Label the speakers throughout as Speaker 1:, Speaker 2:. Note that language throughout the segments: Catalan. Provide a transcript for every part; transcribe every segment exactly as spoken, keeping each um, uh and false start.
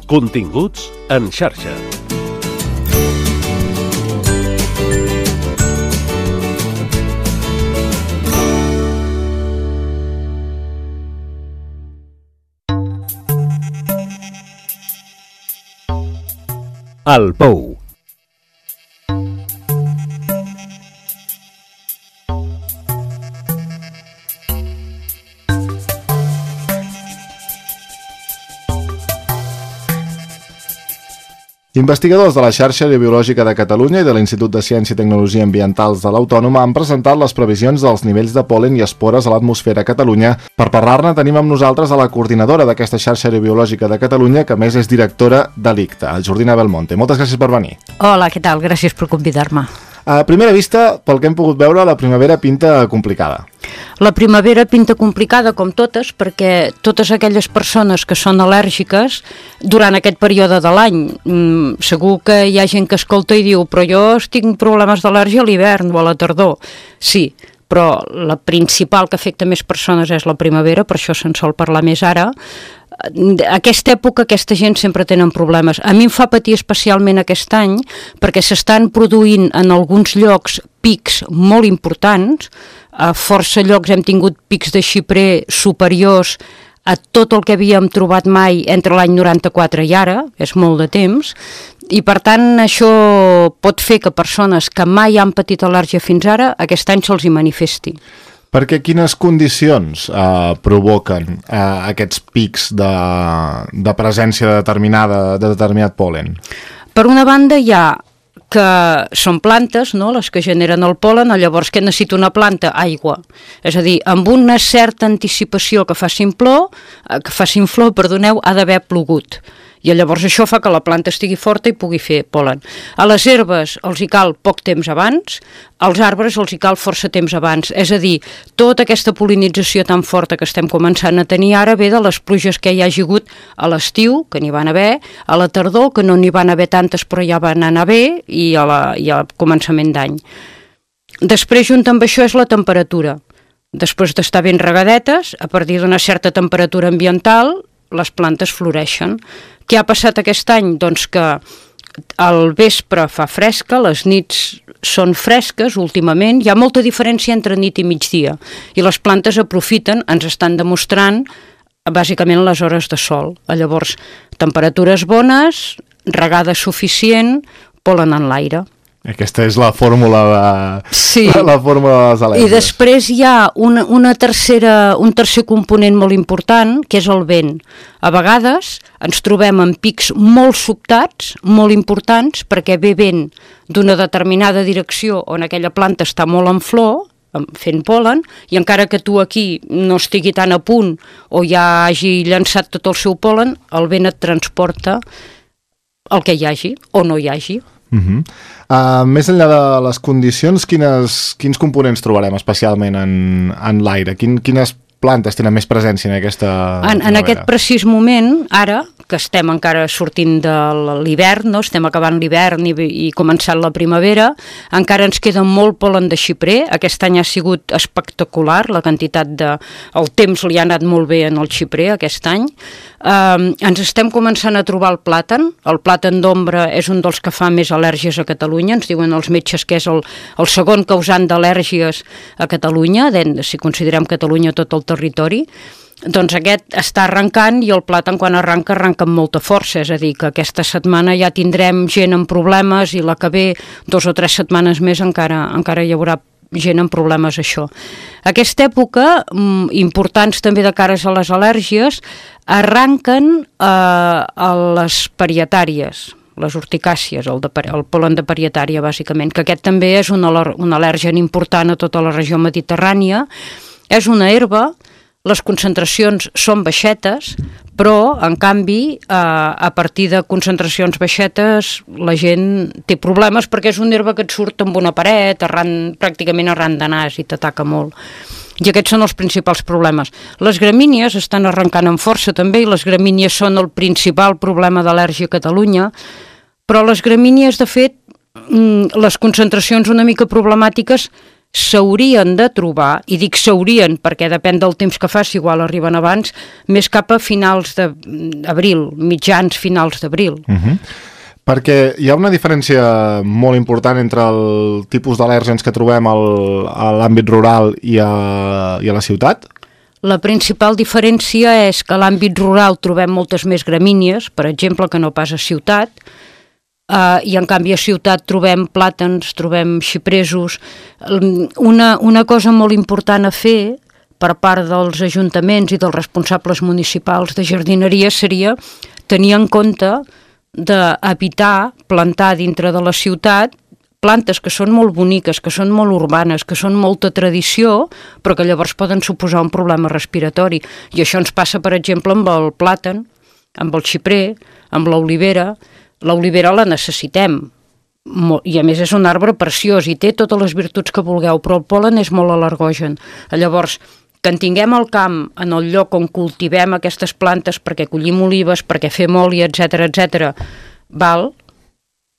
Speaker 1: Continguts en xarxa. El Pou.
Speaker 2: Investigadors de la Xarxa Aerobiològica de Catalunya i de l'Institut de Ciència i Tecnologia Ambientals de l'Autònoma han presentat les previsions dels nivells de pol·len i espores a l'atmosfera a Catalunya. Per parlar-ne tenim amb nosaltres a la coordinadora d'aquesta Xarxa Aerobiològica de Catalunya, que a més és directora de l'I C T A, Jordina Belmonte. Moltes gràcies per venir.
Speaker 3: Hola, què tal? Gràcies per convidar-me.
Speaker 2: A primera vista, pel que hem pogut veure, la primavera pinta complicada.
Speaker 3: La primavera pinta complicada, com totes, perquè totes aquelles persones que són al·lèrgiques durant aquest període de l'any, mmm, segur que hi ha gent que escolta i diu però jo tinc problemes d'al·lèrgia a l'hivern o a la tardor. Sí, però la principal que afecta més persones és la primavera, per això se'n sol parlar més ara. Aquesta època aquesta gent sempre tenen problemes. A mi em fa patir especialment aquest any perquè s'estan produint en alguns llocs pics molt importants. A força llocs hem tingut pics de xiprer superiors a tot el que havíem trobat mai entre l'any noranta-quatre i ara, és molt de temps, i per tant això pot fer que persones que mai han patit al·lèrgia fins ara, aquest any se'ls hi manifesti.
Speaker 2: Perquè quines condicions eh, provoquen eh, aquests pics de, de presència determinada, de determinat pol·len?
Speaker 3: Per una banda hi ha que són plantes, no?, les que generen el pol·len, llavors què necessita una planta? Aigua. És a dir, amb una certa anticipació que facin flor, que facin flor, perdoneu, ha d'haver plogut. I llavors això fa que la planta estigui forta i pugui fer pol·len. A les herbes els hi cal poc temps abans, als arbres els hi cal força temps abans. És a dir, tota aquesta pol·linització tan forta que estem començant a tenir ara ve de les pluges que hi hagi hagut a l'estiu, que n'hi van haver, a la tardor, que no n'hi van haver tantes però ja van anar bé, i, a la, i al començament d'any. Després, junt amb això, és la temperatura. Després d'estar ben regadetes, a partir d'una certa temperatura ambiental, les plantes floreixen. Què ha passat aquest any? Doncs que al vespre fa fresca, les nits són fresques últimament, hi ha molta diferència entre nit i migdia, i les plantes aprofiten, ens estan demostrant, bàsicament les hores de sol. Llavors, temperatures bones, regada suficient, pol·len en l'aire.
Speaker 2: Aquesta és la fórmula de,
Speaker 3: sí.
Speaker 2: la fórmula de les al·lèrgies.
Speaker 3: I després hi ha una, una tercera, un tercer component molt important, que és el vent. A vegades ens trobem en pics molt sobtats, molt importants, perquè ve vent d'una determinada direcció on aquella planta està molt en flor, fent pol·len, i encara que tu aquí no estigui tan a punt o ja hagi llançat tot el seu pol·len, el vent et transporta el que hi hagi o no hi hagi.
Speaker 2: Uh -huh. uh, més enllà de les condicions, quines, quins components trobarem especialment en, en l'aire? Quin, quines plantes tenen més presència en aquesta...
Speaker 3: En, en aquest precís moment, ara, que estem encara sortint de l'hivern, no? Estem acabant l'hivern i, i començant la primavera, encara ens queda molt pol·len de xiprer. Aquest any ha sigut espectacular, la quantitat de... El temps li ha anat molt bé en el xiprer aquest any. Um, ens estem començant a trobar el plàtan. El plàtan d'ombra és un dels que fa més al·lèrgies a Catalunya. Ens diuen els metges que és el, el segon causant d'al·lèrgies a Catalunya, si considerem Catalunya tot el territori. Doncs aquest està arrencant, i el plàtan quan arranca arranca amb molta força, és a dir, que aquesta setmana ja tindrem gent amb problemes, i la que ve dos o tres setmanes més encara, encara hi haurà gent amb problemes això. Aquesta època, importants també de cares a les al·lèrgies, arranquen eh, a les parietàries, les urticàcies, el, de, el pol·len de parietària bàsicament, que aquest també és un, un al·lèrgen important a tota la regió mediterrània. És una herba, les concentracions són baixetes, però, en canvi, eh, a partir de concentracions baixetes, la gent té problemes perquè és una herba que et surt amb una paret, arran, pràcticament arran de nas, i t'ataca molt. I aquests són els principals problemes. Les gramínies estan arrencant amb força també, i les gramínies són el principal problema d'al·lèrgia a Catalunya, però les gramínies, de fet, les concentracions una mica problemàtiques s'haurien de trobar, i dic s'haurien perquè depèn del temps que faci, igual arriben abans, més cap a finals d'abril, mitjans finals d'abril.
Speaker 2: Uh-huh. Perquè hi ha una diferència molt important entre el tipus d'al·lèrgens que trobem al, a l'àmbit rural i a, i a la ciutat?
Speaker 3: La principal diferència és que a l'àmbit rural trobem moltes més gramínies, per exemple, que no pas a ciutat, Uh, i en canvi a ciutat trobem plàtans, trobem xipresos. Una, una cosa molt important a fer per part dels ajuntaments i dels responsables municipals de jardineria seria tenir en compte d'evitar plantar dintre de la ciutat plantes que són molt boniques, que són molt urbanes, que són molta tradició, però que llavors poden suposar un problema respiratori. I això ens passa, per exemple, amb el plàtan, amb el xiprer, amb l'olivera. L'olivera la necessitem, i a més és un arbre preciós i té totes les virtuts que vulgueu, però el pol·len és molt al·lergogen. Llavors, que en tinguem al camp, en el lloc on cultivem aquestes plantes perquè collim olives, perquè fem oli, etcètera, etcètera, val,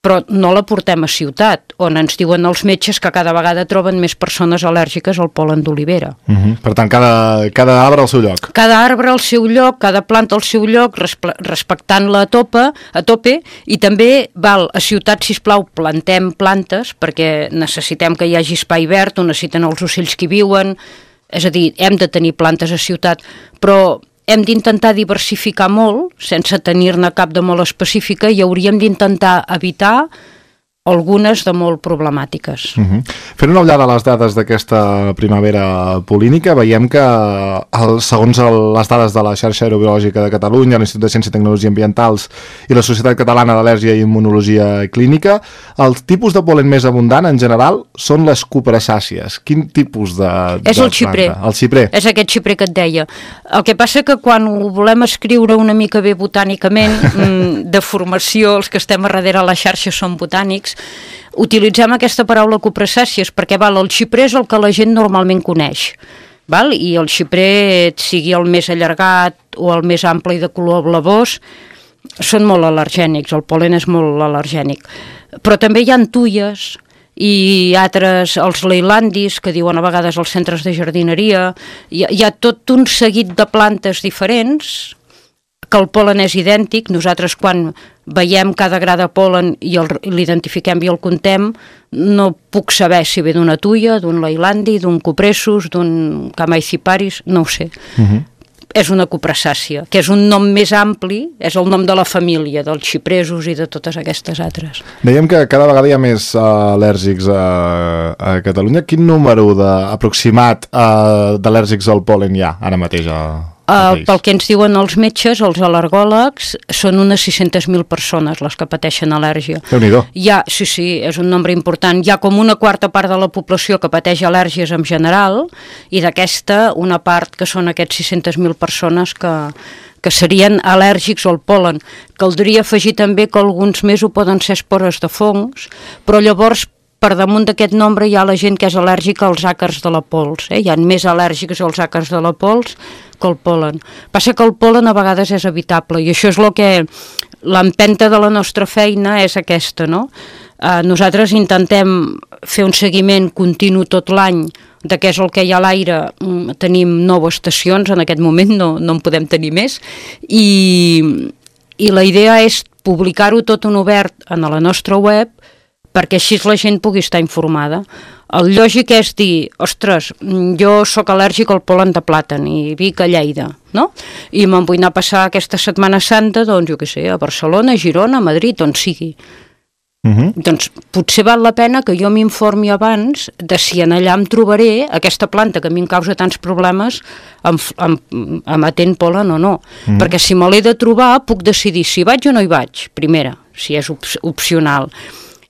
Speaker 3: però no la portem a ciutat, on ens diuen els metges que cada vegada troben més persones al·lèrgiques al pol·len d'olivera.
Speaker 2: Uh-huh. Per tant, cada, cada arbre al seu lloc.
Speaker 3: Cada arbre al seu lloc, cada planta al seu lloc, respectant-la a tope, a tope, i també, val, a ciutat, sisplau, plantem plantes, perquè necessitem que hi hagi espai verd, on necessiten els ocells que hi viuen, és a dir, hem de tenir plantes a ciutat, però hem d'intentar diversificar molt, sense tenir-ne cap de molt específica, i hauríem d'intentar evitar algunes de molt problemàtiques.
Speaker 2: Uh-huh. Fent una ullada a les dades d'aquesta primavera polínica, veiem que el, segons el, les dades de la xarxa aerobiològica de Catalunya, l'Institut de Ciència i Tecnologia Ambientals i la Societat Catalana d'Al·lèrgia i Immunologia Clínica, el tipus de pol·len més abundant en general són les cupressàcies. Quin tipus de, de
Speaker 3: És el xiprer.
Speaker 2: planta? El xiprer.
Speaker 3: És aquest xiprer que et deia. El que passa que quan ho volem escriure una mica bé botànicament, de formació, els que estem a darrere a la xarxa són botànics, utilitzem aquesta paraula cupressàcies perquè val, el xiprer és el que la gent normalment coneix, val? I el xiprer, sigui el més allargat o el més ample i de color blavós, són molt al·lergènics, el pol·len és molt al·lergènic. Però també hi ha tulles i altres, els leilandis, que diuen a vegades als centres de jardineria, hi ha, hi ha tot un seguit de plantes diferents que el pol·len és idèntic. Nosaltres quan veiem cada gra de pol·len i l'identifiquem i el contem, no puc saber si ve d'una tuia, d'un leilandi, d'un cupressus, d'un camaiciparis, no ho sé. Uh-huh. És una cupressàcia, que és un nom més ampli, és el nom de la família, dels xipresos i de totes aquestes altres.
Speaker 2: Dèiem que cada vegada hi ha més uh, al·lèrgics a, a Catalunya. Quin número de, aproximat uh, d'al·lèrgics al pol·len hi ha ara mateix a...
Speaker 3: Uh, pel que ens diuen els metges, els al·lergòlegs, són unes sis-centes mil persones les que pateixen al·lèrgia.
Speaker 2: Déu-n'hi-do.
Speaker 3: Hi ha, sí, sí, és un nombre important. Hi ha com una quarta part de la població que pateix al·lèrgies en general, i d'aquesta una part que són aquests sis-centes mil persones que, que serien al·lèrgics al pol·len. Caldria afegir també que alguns més ho poden ser espores de fongs, però llavors per damunt d'aquest nombre hi ha la gent que és al·lèrgica als àcars de la pols. Eh? Hi ha més al·lèrgics als àcars de la pols que el pol·len. Passa que el pol·len a vegades és evitable, i això és el que l'empenta de la nostra feina és aquesta, no? Eh, nosaltres intentem fer un seguiment continu tot l'any de què és el que hi ha a l'aire. Tenim nou estacions, en aquest moment no, no en podem tenir més, i, i la idea és publicar-ho tot en obert a la nostra web, perquè així la gent pugui estar informada. El lògic és dir, ostres, jo sóc al·lèrgic al pol·len de plàtan i vic a Lleida, no? I me'n vull anar a passar aquesta Setmana Santa, doncs, jo què sé, a Barcelona, a Girona, a Madrid, on sigui. Uh-huh. Doncs potser val la pena que jo m'informi abans de si en allà em trobaré aquesta planta que a mi em causa tants problemes emetent pol·len o no. Uh-huh. Perquè si me l'he de trobar, puc decidir si vaig o no hi vaig, primera, si és op- opcional.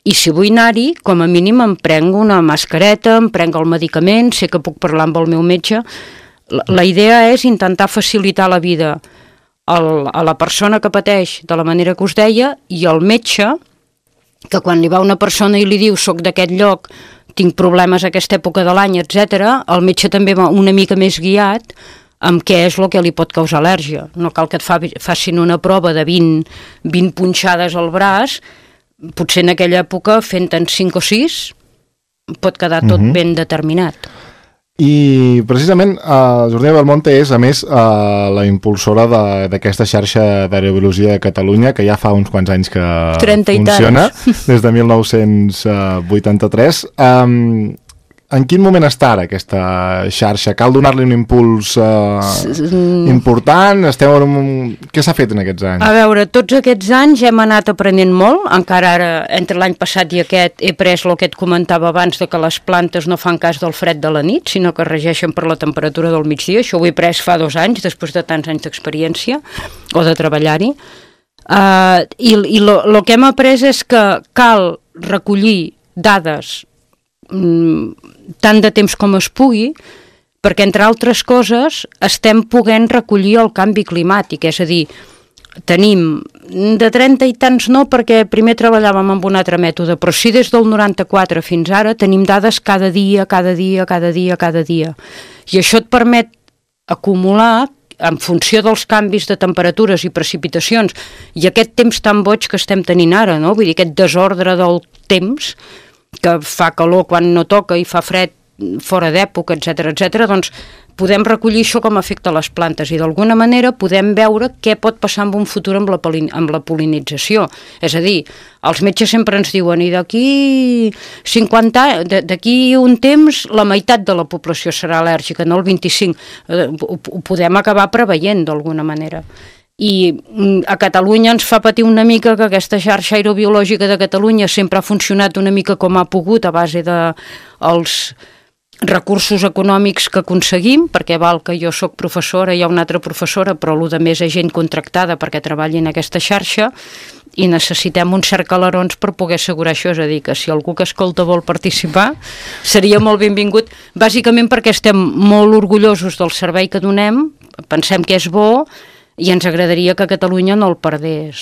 Speaker 3: I si vull anar-hi, com a mínim em prenc una mascareta, em prenc el medicament, sé que puc parlar amb el meu metge. La, la idea és intentar facilitar la vida al, a la persona que pateix de la manera que us deia, i al metge, que quan li va una persona i li diu soc d'aquest lloc, tinc problemes a aquesta època de l'any, etcètera, el metge també va una mica més guiat amb què és el que li pot causar al·lèrgia. No cal que et fa, facin una prova de vint, vint punxades al braç, potser en aquella època fent-en cinc o sis, pot quedar tot uh-huh. ben determinat.
Speaker 2: I precisament uh, Jordina Belmonte és, a més, uh, la impulsora d'aquesta xarxa d'aerobiologia de Catalunya, que ja fa uns quants anys que funciona, des de mil nou-cents vuitanta-tres. Um, en quin moment està ara aquesta xarxa? Cal donar-li un impuls uh, important? Esteu en un... Què s'ha fet en aquests anys?
Speaker 3: A veure, tots aquests anys hem anat aprenent molt, encara ara, entre l'any passat i aquest, he pres el que et comentava abans, de que les plantes no fan cas del fred de la nit, sinó que regeixen per la temperatura del migdia. Això ho he pres fa dos anys, després de tants anys d'experiència, o de treballar-hi. Uh, I i lo, lo que hem après és que cal recollir dades tant de temps com es pugui, perquè, entre altres coses, estem podent recollir el canvi climàtic, és a dir, tenim de trenta i tants no, perquè primer treballàvem amb un altre mètode, però sí des del noranta-quatre fins ara tenim dades cada dia, cada dia, cada dia, cada dia. I això et permet acumular, en funció dels canvis de temperatures i precipitacions, i aquest temps tan boig que estem tenint ara, no? Vull dir, aquest desordre del temps, que fa calor quan no toca i fa fred fora d'època, etcètera, etcètera, doncs podem recollir això com afecta les plantes i d'alguna manera podem veure què pot passar en un futur amb la, amb la pol·linització. És a dir, els metges sempre ens diuen i d'aquí cinquanta anys, d'aquí un temps la meitat de la població serà al·lèrgica, no el vint-i-cinc. Ho, ho podem acabar preveient d'alguna manera. I a Catalunya ens fa patir una mica que aquesta xarxa aerobiològica de Catalunya sempre ha funcionat una mica com ha pogut a base de els recursos econòmics que aconseguim, perquè val que jo sóc professora, hi ha una altra professora, però el de més és gent contractada perquè treballi en aquesta xarxa i necessitem uns cert calarons per poder assegurar això, és a dir, que si algú que escolta vol participar seria molt benvingut, bàsicament perquè estem molt orgullosos del servei que donem, pensem que és bo i ens agradaria que Catalunya no el perdés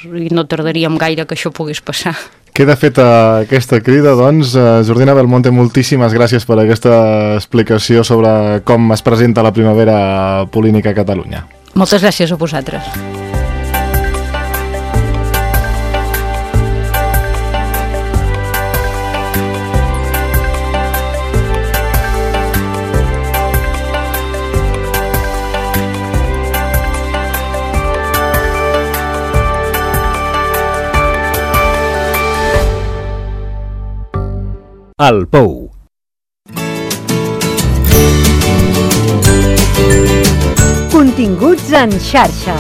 Speaker 3: i no tardaríem gaire que això pogués passar.
Speaker 2: Queda feta aquesta crida, doncs. Jordina Belmonte, moltíssimes gràcies per aquesta explicació sobre com es presenta la primavera pol·línica a Catalunya.
Speaker 3: Moltes gràcies a vosaltres.
Speaker 1: El Pou.
Speaker 4: Continguts en xarxa.